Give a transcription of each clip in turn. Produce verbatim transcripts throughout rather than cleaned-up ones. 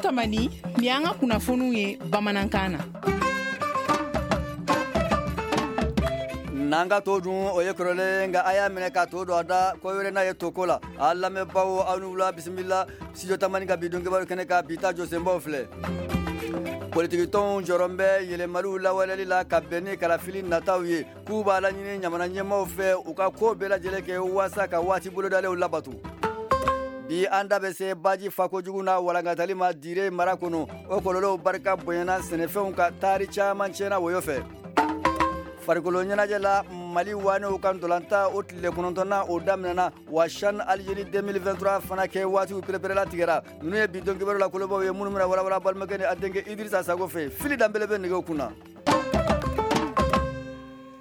Tamani, ni an ka kunnafoniw ye bamanankan na. N'an ka to dun, o ye kɔrɔlen, nka a y'a minɛ ka to don a da ko wɛrɛ n'a ye to ko la. A lamɛnbaaw, aw ni wula, bisimila Studio Tamani ka bi don kibaru kɛnɛ kan. Bi ta jɔsenbaw filɛ: politikitɔnw jɔrɔ bɛ yɛlɛmaliw lawaleli la ka bɛn ni kalafili nataw ye, k'u b'a laɲini jamana ɲɛmaaw fɛ u ka ko bɛɛ lajɛlen kɛ waasa ka waati bolodalenw labato. Bi, an da bɛ se baji fakojugu n'a walankatali ma Dire mara kɔnɔ. O kɔlɔlɔw barika bonyana sɛnɛfɛnw ka taari caman tiɲɛna woyo fɛ. Farikolo ɲɛnajɛ la, Mali wanew ka ntolatan o tile kɔnɔntɔnna o daminɛna wa, CHAN Algérie deux mille vingt-trois fana kɛ waatiw pereperela tigɛra. Ninnu ye bi don kibaru la kolobaw ye minnu bɛna walawala balimakɛ ni a denkɛ Idrissa Sago fɛ. Fili Danbele bɛ nɛgɛw kunna.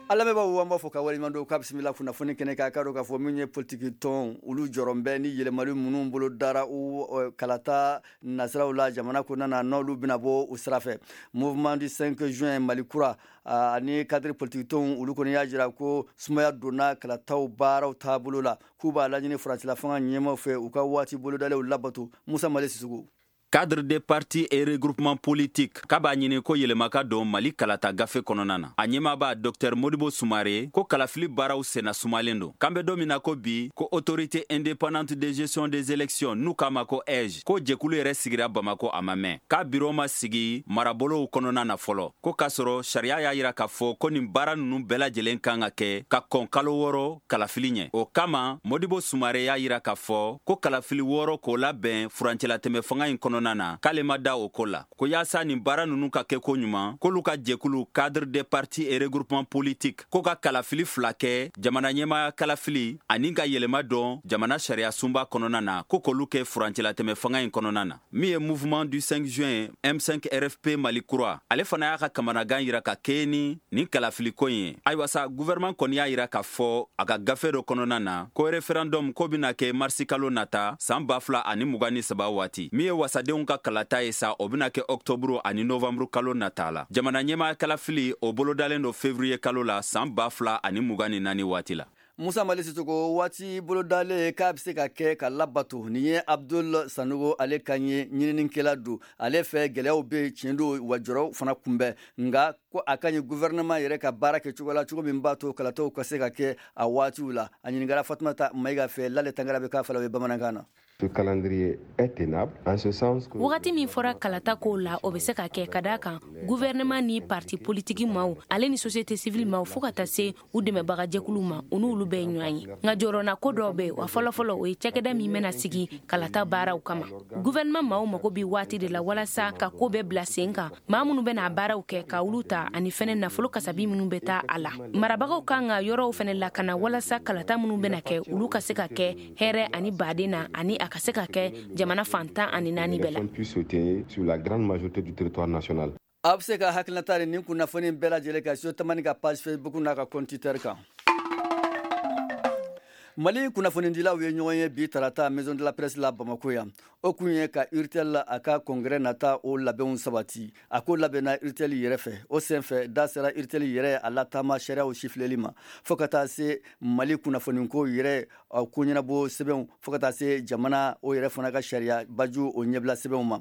A lamɛnbaaw, an b'a fɔ ka waleɲuman dɔn k'a bisimila kunnafoni kɛnɛ kan. K'a dɔn k'a fɔ min ye politiki tɔn, olu jɔrɔ bɛ ni yɛlɛmali minnu bolo dara u kalata nasiraw la jamana kɔnɔna na, n'olu bɛna bɔ u sira fɛ. Mouvement du cinq juin, Mali kura ani cadre politique tɔnw, olu kɔni y'a jira ko sumaya donna kalataw baaraw taabolo la, k'u b'a laɲini furancɛla fanga ɲɛmaw fɛ u ka waati bolodalew labato. Musa Mali Sisugu. Cadre des partis et regroupement politique k'a b'a ɲini ko yɛlɛma ka don Mali kalata gafe kɔnɔna na. A ɲɛmaaba Docteur Modibo Sumare ko kalafili baaraw senna sumalen don, k'an bɛ don min na ko bi, ko Autorité indépendante de gestion des élections, n'u k'a ma ko A I G E, ko jɛkulu yɛrɛ sigira Bamako, a ma mɛn, k'a biro ma sigi marabolow kɔnɔna na fɔlɔ, ko k'a sɔrɔ sariya y'a yira k'a fɔ ko nin baara nunu bɛɛ lajɛlen kan ka kɛ ka kɔn kalo wɔɔrɔ kalafili ɲɛ. O kama, Modibo Sumare y'a yira k'a fɔ ko kalafili wɔɔrɔ k'o labɛn furancɛlatɛmɛ fanga in kɔnɔna na, k'ale ma da o ko la, ko yaasa nin baara nunu ka kɛ ko ɲuman, k'olu ka jɛkulu Cadre des partis et regroupement politique ko ka kalafili fila kɛ, jamana ɲɛmaya kalafili ani ka yɛlɛma dɔn jamana sariya sunba kɔnɔna na, ko k'olu kɛ furancɛlatɛmɛ fanga in kɔnɔna na. Min ye Mouvement du cinq juin, M cinq R F P Mali kura, ale fana y'a ka kamanagan yira ka kɛɲɛ ni nin kalafiliko in ye. Ayiwa sa, gouvernement kɔni y'a yira k'a fɔ a ka gafe dɔ kɔnɔna na ko référendum ko bɛna kɛ marisi kalo nata san ba fila ani mugan ni saba waati. Min ye wasadenw ka kalata ye sa, o bɛna kɛ ɔktɔburu ani novanburu kalo nata la. Jamana ɲɛmaya kalafili, o bolodalen don fevriye kalo la san ba fila ani mugan ni naani waati la. Musa Mali Sisoko, waati bolodalen k'a bɛ se ka kɛ ka labato, nin ye Abdul Sanogo ale kan ye, ɲininikɛla don. Ale fɛ, gɛlɛyaw bɛ tiɲɛ don wa, jɔrɔ fana kunbɛn, nka ko a ka ɲi gouvernement yɛrɛ ka baara kɛ cogo la, cogo min b'a to kalataw ka se ka kɛ a waatiw la. A ɲininkara Fatumata Mayiga fɛ. Lale Tangara bɛ k'a fala o ye bamanankan na. Ce calendrier est tenable en ce sens que Wagati min fɔra kalata kow la, o bɛ se ka kɛ, ka da kan gouvernement ni parti politiki maaw, ale ni société civile maaw, fɔɔ ka taa se u dɛmɛbagajɛkuluw ma, u n'olu bɛɛ ye ɲɔgɔn ye. Nka jɔrɔna ko dɔw bɛ wa. Fɔlɔfɔlɔ, o ye cakɛda min bɛna sigi kalata baaraw kama. Gouvernement maaw mago bi waati de la walasa ka ko bɛɛ bila sen kan, maa minnu bɛna baaraw kɛ ka olu ta, ani fɛnɛ nafolo kasabi minnu bɛ taa a la. Marabagaw kan ka yɔrɔw fɛnɛ lakana walasa kalata minnu bɛna kɛ, olu ka se ka kɛ hɛrɛ ani baden na, ani a ka se ka kɛ jamana fantan ani naani bɛɛ la. Puisse se tenir sur la grande majorité du territoire national. A bɛ se ka hakilinata ni nin kunnafoni bɛɛ lajɛlen kan Studio Tamani ka page Facebook n'a ka compte Twitter kan. Mali kunnafonidilaw ye ɲɔgɔn ye bi tarata Maison de la Presse la Bamako yan. O kun ye ka URTEL a ka congrès nata o labɛnw sabati. A ko labɛnna URTEL yɛrɛ fɛ. O senfɛ, da sera URTEL yɛrɛ a lataama sariyaw sifilɛli ma, fɔɔ ka taa se Mali kunnafoniko yɛrɛ ko ɲɛnabɔ sɛbɛnw, fɔɔ ka taa se jamana o yɛrɛ fana ka sariya baju o ɲɛbila sɛbɛnw ma.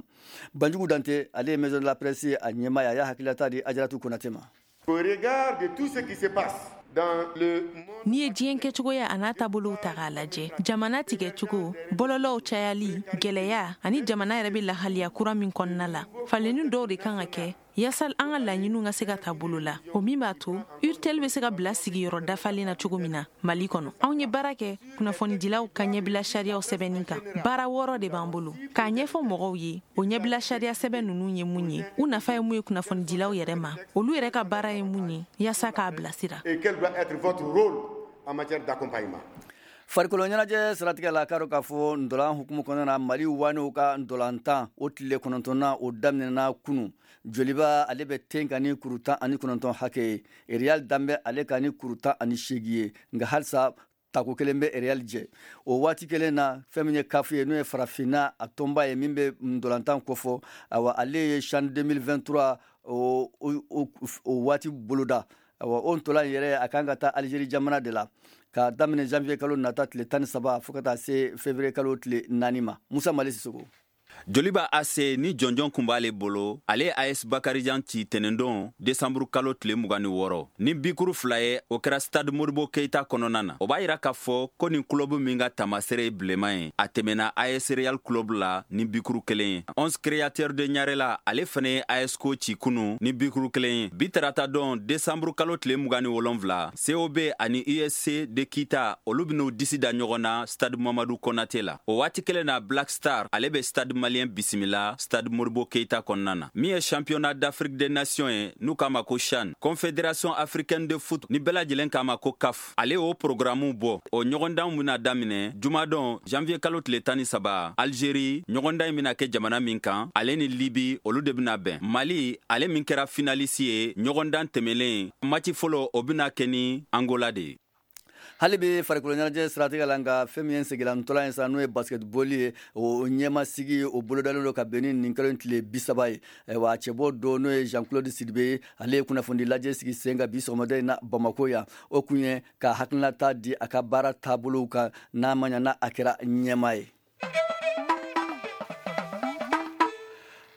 Banjugu Dante, ale ye Maison de la Presse a ɲɛmaa ye, a y'a hakililata di Ajaratu Konate ma. Au regard de tout ce qui se passe dans le N'i ye diɲɛ kɛcogoya a n'a taabolow ta k'a lajɛ, jamana tigɛcogo, bɔlɔlɔw cayali gwɛlɛya, ani jamana yɛrɛ bɛ lahaliya kura min kɔnɔna la, falenni dɔw de kan ka kɛ yaasa an ka laɲiniw ka se ka ta bolo la, o min b'a to URTEL bɛ se ka bila sigiyɔrɔ dafalen na cogo min na Mali kɔnɔ. Anw ye baara kɛ kunnafonidilaw ka ɲɛbila sariyaw sɛbɛnni kan. Baara wɔɔrɔ de b'an bolo k'a ɲɛfɔ mɔgɔw ye. O ɲɛbila sariya sɛbɛn ninnu ye mun ye, u nafa ye mun ye kunnafonidilaw yɛrɛ ma, olu yɛrɛ ka baara ye mun ye, yaasa k'a bilasira. Et quel doit être votre rôle en matière d'accompagnement. Farikolo ɲɛnajɛ siratigɛ la, k'a dɔn k'a fɔ ndolan hukumu kɔnɔna na, Mali wanew ka ndolantan o tile kɔnɔntɔnna o daminɛna kunu. Joliba, ale bɛ ten ka ni kuru tan ani kɔnɔntɔn hakɛ ye. Real danbɛ ale ka ni kuru tan ani seegin ye, nka halisa tako kelen bɛ Real jɛ. O waati kelen na, fɛn min ye CAF ye, n'o ye farafinna a tɔnba ye min bɛ ndolantan kofɔ, awa, ale ye CHAN deux mille vingt-trois o, o, o waati boloda. Awa, o ntolan yɛrɛ, a kan ka taa Algérie jamana de la ka daminɛ janvier kalo nata tile tan ni saba fo ka taa se février kalo tile naani ma. Musa Mali Sisoko. Joliba A C ni jɔnjɔn kun b'ale bolo, ale ye A S Bakarijan ci tɛnɛndon desanburu kalo tile mugan ni wɔɔrɔ ni bikuru fila ye. O kɛra Stade Modibo Keita kɔnɔna na. O b'a yira k'a fɔ ko nin kulobu min ka taamasere ye bilenman ye, a tɛmɛna A S Real Club la ni bikuru kelen ye. Onze Créateur de Ɲarela, ale fɛnɛ ye A S C O ci kunu ni bikuru kelen ye. Bi tarata don desanburu kalo tile mugan ni wolonfila, C O B ani U S C de Kita, olu ben'u disi da ɲɔgɔn na Stade Mamadu Konate la. O waati kelen na, Black Star, ale be Stade Malien bisimila Stade Modibo Keita kɔnɔna na. Min ye Championnat d'Afrique des Nations ye, n'u k'a ma ko CHAN, Confédération africaine de foot ni bɛɛ lajɛlen k'a ma ko CAF, ale y'o programme bɔ. O ɲɔgɔndanw bena daminɛ jumadon janvier kalo tile tan ni saba. Algérie, ɲɔgɔndan in bena kɛ jamana min kan, ale ni Libi, olu de bena bɛn. Mali, ale min kɛra finaliste ye ɲɔgɔndan tɛmɛlen, match fɔlɔ, o bena kɛ ni Angola de ye. Hali bi farikolo ɲɛnajɛ siratigɛ la, nka fɛn min ye segilan ntɔla ye sa, n'o ye basketball ye, o ɲɛmasigi o bolodalen don ka bɛn ni nin kalo in tile bi saba ye. Wa cɛbɔ dɔ, n'o ye Jean Claude Sidibe ye, ale ye kunnafoni lajɛ sigi sen kan bi sɔgɔmada in na Bamako yan. O kun ye ka hakilinata di a ka baara taabolow kan, n'a ma ɲa n'a a kɛra ɲɛma ye.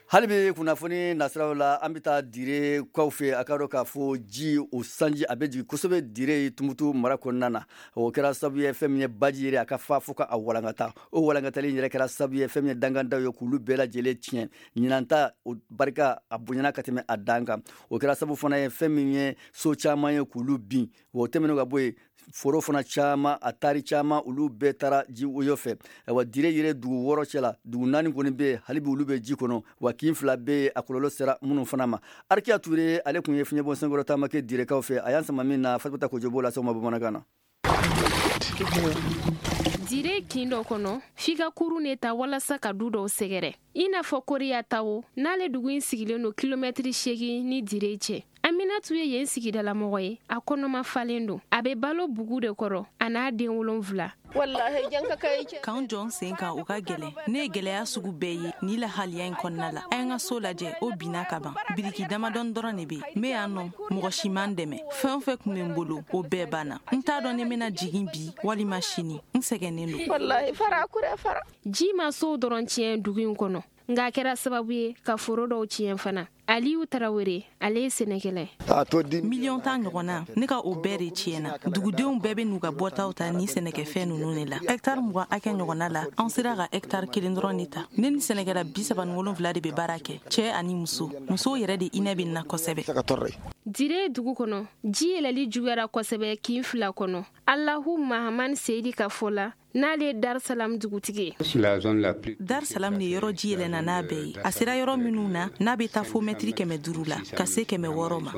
Hali bi kunnafoni nasiraw la, an bɛ taa Dire kaw fɛ. A ka dɔn k'a fɔ ji o sanji a bɛ jigin kosɛbɛ Dire Tumutu mara kɔnɔna na. O kɛra sababu ye fɛn min ye baji yɛrɛ a ka fa fo ka a walankata. O walankatali in yɛrɛ kɛra sababu ye fɛn min ye dangandaw ye k'olu bɛɛ lajɛlen tiɲɛ. Ɲinan ta o barika a bonyana ka tɛmɛ a dan kan. O kɛra sababu fana ye fɛn min ye so caman ye k'olu bin. O tɛmɛnen ka bɔ yen, foro fana caman, a tari caman, olu bɛɛ taara ji woyo fɛ. Wa Dire yɛrɛ dugu wɔɔrɔ cɛ la, dugu naani kɔni bɛ yen, hali bi olu bɛ ji kɔnɔ, wa kin fila bɛ yen, a kɔlɔlɔ sera minnu fana ma. Arikiya Ture, ale tun ye fiɲɛbɔ senkɔrɔ taama kɛ Direkaw fɛ. A y'an sama min na, Fatumata Kojo b'o lase aw ma bamanankan na. Dire kin dɔ kɔnɔ, f'i ka kurun ne ta walasa ka du dɔw sɛgɛrɛ, i n'a fɔ Koriya tawo n'ale dugu in sigilen don kilomɛtiri seegin ni Dire cɛ. Aminatu ye yen sigidalamɔgɔ ye. A kɔnɔma falen don, a bɛ balo bugu de kɔrɔ, a n'a den wolonfila. K'an jɔ n sen kan, o ka gɛlɛn. Ne ye gɛlɛya sugu bɛɛ ye ni lahaliya in kɔnɔna la. A ye n ka so lajɛ, o binna ka ban. Biriki damadɔni dɔrɔn de be n be yan nɔ. Mɔgɔ si man dɛmɛ. Fɛn o fɛn kun bɛ n bolo, o bɛɛ banna. N t'a dɔn ne bɛna jigin bi walima sini. N sɛgɛnnen don. Ji ma sow dɔrɔn tiɲɛ dugu in kɔnɔ, nka a kɛra sababu ye ka foro dɔw tiɲɛ fana. Aliyu Tarawele, ale ye sɛnɛkɛla ye. Miliyɔn tan ɲɔgɔnna, ne ka o bɛɛ de tiɲɛna. Dugudenw bɛɛ bɛ n'u ka bɔtaw ta ni sɛnɛkɛfɛn ninnu de la. Hɛktari mugan hakɛ ɲɔgɔnna la, an sera ka hɛktari kelen dɔrɔn de ta. Ne ni sɛnɛkɛla bi saba ni wolonfila de bɛ baara kɛ, cɛɛ ani muso. Musow yɛrɛ de hinɛ bɛ na kosɛbɛ. Dire dugu kɔnɔ, ji yɛlɛli juguyara kosɛbɛ kin fila kɔnɔ. Alahu Mahaman Seyidi ka fɔ la, n'ale ye Dar Salam dugutigi ye. Dar Salam de yɔrɔ ji yɛlɛnna n'a bɛɛ ye. A sera yɔrɔ minnu na, n'a bɛ taa fo mɛtiri kɛmɛ duuru la ka se kɛmɛ wɔɔrɔ ma.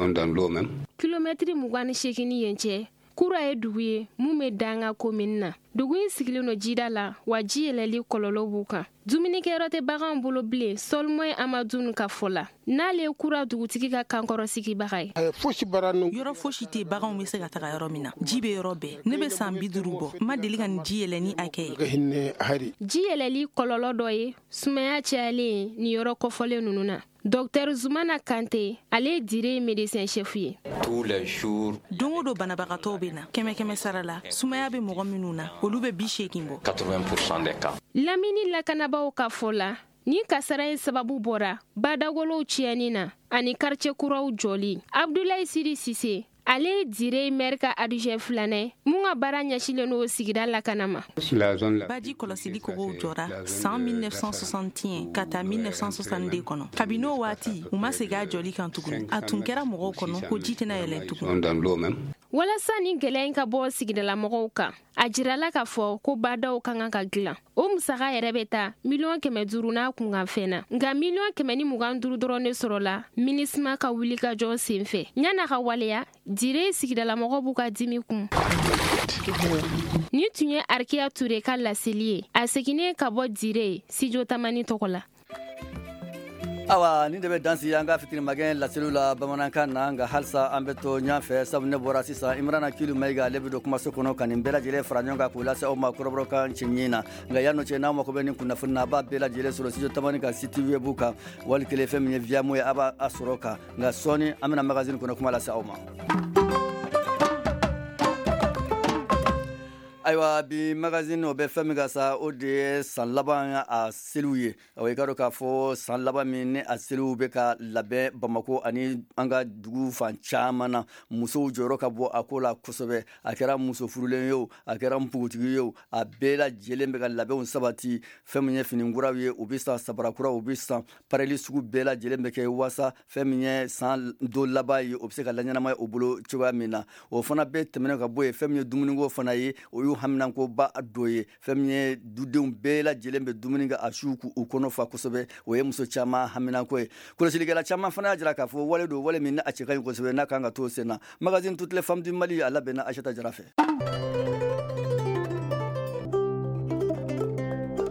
Kilomɛtiri mugan ni seegin ni yen cɛ, Kura ye dugu ye mun bɛ danga komini na. Dugu in sigilen don jida la, wa ji yɛlɛli kɔlɔlɔ b'u kan. Dumunikɛyɔrɔ tɛ baganw bolo bilen. Sɔlmɔye Amadunu ka fɔ la, n'ale ye Kura dugutigi ka kankɔrɔ sigibaga ye. Yɔrɔ fosi tɛ baganw bɛ se ka taga yɔrɔ min na. Ji bɛ yɔrɔ bɛɛ. Ne bɛ san bi duuru bɔ, n ma deli ka nin ji yɛlɛ ni hakɛ ye. Ji yɛlɛli kɔlɔlɔ dɔ ye sumaya cayalen nin yɔrɔ kɔfɔlen ninnu na. Dɔktɛr Zumana Kante, ale ye Dire médecin chef ye. Don o don, banabagatɔw bɛ na. Kɛmɛ kɛmɛ sara la, sumaya bɛ mɔgɔ minnu na, olu bɛ bi seegin bɔ. Lamini lakanabaaw ka fɔ la, nin kasara in sababu bɔra badagolow tiɲɛni na ani quartier kuraw jɔli. Abdulayi Siri Sise, ale ye Dire maire ka adjoint filanan mun ka baara ɲɛsilen n'o sigida lakana ma. Baji kɔlɔsili kogow jɔra san mille neuf cent soixante et un ka taa mille neuf cent soixante-deux kɔnɔ. Kabini o waati, u ma segin a jɔli kan tuguni. A tun kɛra mɔgɔw kɔnɔ ko ji tɛna yɛlɛn tugun. Walasa ni gɛlɛya in ka bɔ sigidalamɔgɔw kan, a jirala k'a fɔ ko badaw ka kan ka dilan. O musaka yɛrɛ bɛ taa miliyɔn kɛmɛ duuru n'a kunkanfɛn na, nka miliyɔn kɛmɛ ni mugan duuru dɔrɔn de sɔrɔla MINUSMA ka wulikajɔ sen fɛ. Ɲan'a ka waleya, Dire sigidalamɔgɔw b'u ka dimi kun. Nin tun ye Arikiya Ture ka laseli ye, a seginnen ka bɔ Dire Studio Tamani tɔgɔ la. Awa, nin de bɛ dansi an ka fitiri magɛn laseliw la bamanankan na. Nka halisa an bɛ to ɲɔgɔn fɛ, sabu ne bɔra sisan, Imrana Kilu Mayiga, ale bɛ don kumaso kɔnɔ ka nin bɛɛ lajɛlen fara ɲɔgɔn kan k'u lase aw ma kɔrɔbɔrɔkan cɛɲi na. Nka yan'o cɛ, n'aw mako bɛ nin kunnafoni na, a b'a bɛɛ lajɛlen sɔrɔ Studio Tamani ka site web kan, wali kelen fɛn min ye Viamo ye, a b'a sɔrɔ kan. Nka sɔɔni, an bɛna magazine kɔnɔ kuma lase aw ma. Ayiwa, bi magazine o bɛ fɛn min kan sa, o de ye san laban a seliw ye. Awa, i ka dɔn k'a fɔ san laban min ni a seliw bɛ ka labɛn Bamako ani an ka dugu fan caman na, musow jɔyɔrɔ ka bɔ a ko la kosɛbɛ. A kɛra muso furulen ye o, a kɛra npogotigi ye o, a bɛɛ lajɛlen bɛ ka labɛnw sabati. Fɛn min ye fini kuraw ye, u bɛ san, sabara kuraw u bɛ san, pareli sugu bɛɛ lajɛlen bɛ kɛ waasa fɛn min ye san don laban ye, o bɛ se ka laɲɛnamaya u bolo cogoya min na. O fana bɛɛ tɛmɛnen ka bɔ yen, fɛn min ye dumuniko fana ye, o y'u haminankoba dɔ ye. Fɛn min ye dudenw bɛɛ lajɛlen bɛ dumuni kɛ a su k'u kɔnɔ fa kosɛbɛ, o ye muso caman haminanko ye. Kɔlɔsilikɛla caman fana y'a jira k'a fɔ wale don, wale min ni a cɛ ka ɲi kosɛbɛ, n'a kan ka to sen na. Magazine Toutes les femmes du Mali, a labɛnna Aïssata Jara fɛ.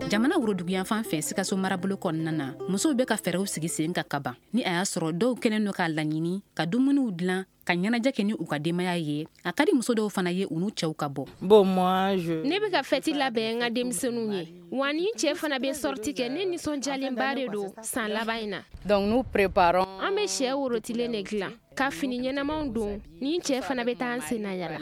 Jamana woroduguyanfan fɛ, Sikaso marabolo kɔnɔna na, musow bɛ ka fɛɛrɛw sigi sen ka kaban ni a y'a sɔrɔ dɔw kɛlen don k'a laɲini ka dumuniw dilan ka ɲɛnajɛ kɛ ni u ka denbaya ye. A ka di muso dɔw fana ye u n'u cɛw ka bɔ. Ne bɛ ka fɛti labɛn n ka denmisɛnninw ye, wa ni cɛ fana bɛ sortie kɛ. Ne nisɔndiyalenba de don san laban in na. An bɛ sɛ worotilen de dilan ka fini ɲɛnamaw don, ni cɛ fana bɛ taa an senna yala.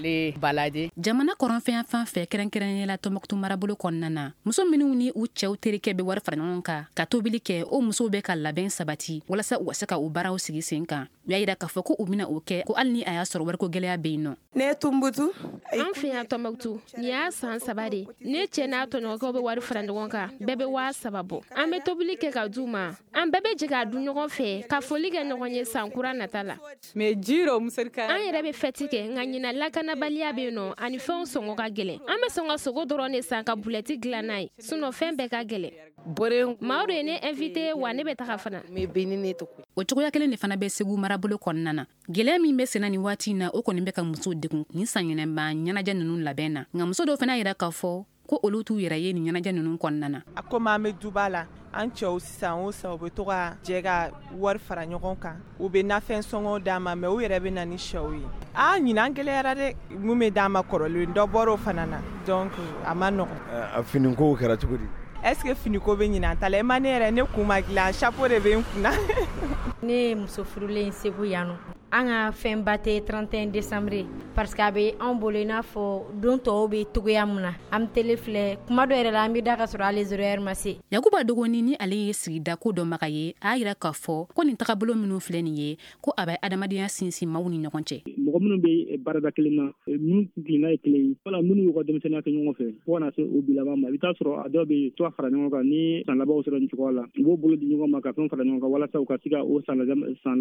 Jamana kɔrɔnfɛn fan fɛ, kɛrɛnkɛrɛnnenya la Tɔnbɔkutu marabolo kɔnɔna na, muso minnu ni u cɛw terikɛ bɛ wari fara ɲɔgɔn kan ka tobili kɛ, o musow bɛ ka labɛn sabati walasa u ka se ka u baaraw sigi sen kan. U y'a yira k'a fɔ ko u bɛna o kɛ, ko hali ni a y'a sɔrɔ wariko gɛlɛya bɛ yen nɔ. Ne ye Tumutu. An fɛ yan Tɔnbɔkutu, nin y'a san saba de. Ne cɛ n'a tɔɲɔgɔnkɛw bɛ wari fara ɲɔgɔn kan, bɛɛ bɛ waa saba bɔ. An bɛ tobili kɛ ka d'u ma, an bɛɛ bɛ jɛ k'a dun ɲɔgɔn fɛ, ka foli kɛ ɲɔgɔn ye san kura nata la. An yɛrɛ bɛ fɛti kɛ, nka ɲinan lakanabaliya bɛ yen nɔ ani fɛnw sɔngɔ ka gɛlɛn. An bɛ sɔn ka sogo dɔrɔn de san ka bulɛti dilan n'a ye, sinon fɛn bɛɛ ka gɛlɛn. Maaw de ye ne invité, wa ne bɛ taga fana. O cogoya kelen de fana bɛ Segu marabolo kɔnɔna na. Gɛlɛya min bɛ senna nin waati in na, o kɔni bɛ ka musow degun nin sanyɛlɛma ɲɛnajɛ ninnu labɛn na. Nka muso dɔw fana y'a jira k'a fɔ ko olu t'u yɛrɛ ye nin ɲɛnajɛ ninnu kɔnɔna na. A komi an bɛ duba la, an cɛw sisan o san u bɛ to ka jɛ ka wari fara ɲɔgɔn kan, u bɛ nafɛn sɔngɔw d'an ma, mais u yɛrɛ bɛ na ni sɛw ye. Aa, ɲinan gɛlɛyara dɛ, mun bɛ d'an ma kɔrɔlen, dɔ bɔr'o fana na, donc a ma nɔgɔn. A finikow kɛra cogo di? Est ce que finiko bɛ ɲinan ta la? I ma ne yɛrɛ, ne kun ma dilan, chapeau de bɛ n kunna. Ne ye muso furulen Segu yan nɔ. An ka fɛnba tɛ trente et un décembre parce que a bɛ anw bolo i n'a fɔ don tɔw bɛ togoya min na. An bɛ télé filɛ, kuma dɔ yɛrɛ la an bɛ da ka sɔrɔ hali zéro heure ma se. Yakuba Dogoni, ni ale ye sigida ko dɔnbaga ye, a y'a yira k'a fɔ ko nin tagabolo minnu filɛ nin ye, ko a bɛ adamadenya sinsin maaw ni ɲɔgɔn cɛ. Mɔgɔ minnu bɛ baarada kelen na, minnu kuntilenna ye kelen ye, wala minnu y'u ka denmisɛnninya kɛ ɲɔgɔn fɛ fo ka na se o bi laban ma, i bɛ taa sɔrɔ a dɔw bɛ to fara ɲɔgɔn kan ni san labanw sera nin cogoya la, u b'o bolo di ɲɔgɔn ma ka fɛn fara ɲɔgɔn kan walasa u ka se ka o san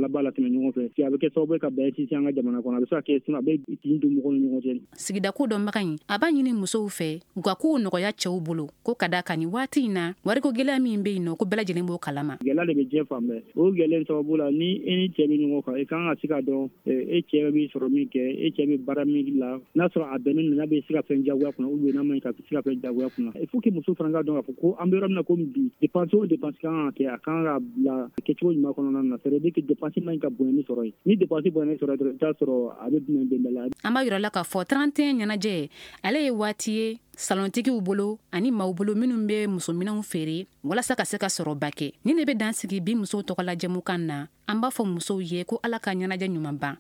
laban latɛmɛ ɲɔgɔn fɛ. A bɛ kɛ sababu ye ka bɛn sinsin an ka jamana kɔnɔ, a bɛ se ka kɛ a bɛ tin don mɔgɔw ni ɲɔgɔn cɛ. Sigida ko dɔnbaga in, a b'a ɲini musow fɛ u ka kow nɔgɔya cɛw bolo, ko ka da kan nin waati in na, wariko gɛlɛya min bɛ yen nɔ, ko bɛɛ lajɛlen b'o kalama. Gɛlɛya de bɛ diɲɛ fan bɛɛ. O gɛlɛya sababu la, ni e ni cɛ bɛ ɲɔgɔn kan, i kan ka se ka dɔn e cɛ bɛ sɔrɔ min kɛ, e cɛ bɛ baara min la, n'a sɔrɔ a bɛnnen don, n'a bɛ se ka fɛn jagoya kunna ou bien n'a man ɲi ka se ka fɛn jagoya kunna. Il faut que muso fana ka dɔn k'a fɔ ko an bɛ yɔrɔ min na komi bi, dépense o dépense kan ka kɛ, a kan ka bila kɛcogo ɲuman kɔnɔna na. C'est à dire que dépense man ɲi ka bonya ni sɔrɔ ye. Ni dépense bonya ni sɔrɔ ye dɔrɔn, i bɛ taa sɔrɔ a bɛ bɛn bɛn la. An b'a yira la k'a fɔ trente et un ɲɛnajɛ, ale ye waati ye salontigiw bolo ani maaw bolo minnu bɛ musominɛnw feere walasa ka se ka sɔrɔba kɛ. Ni ne bɛ dan sigi bi musow tɔgɔla jɛmukan na, an b'a fɔ musow ye ko Ala ka ɲɛnajɛ ɲuman ban.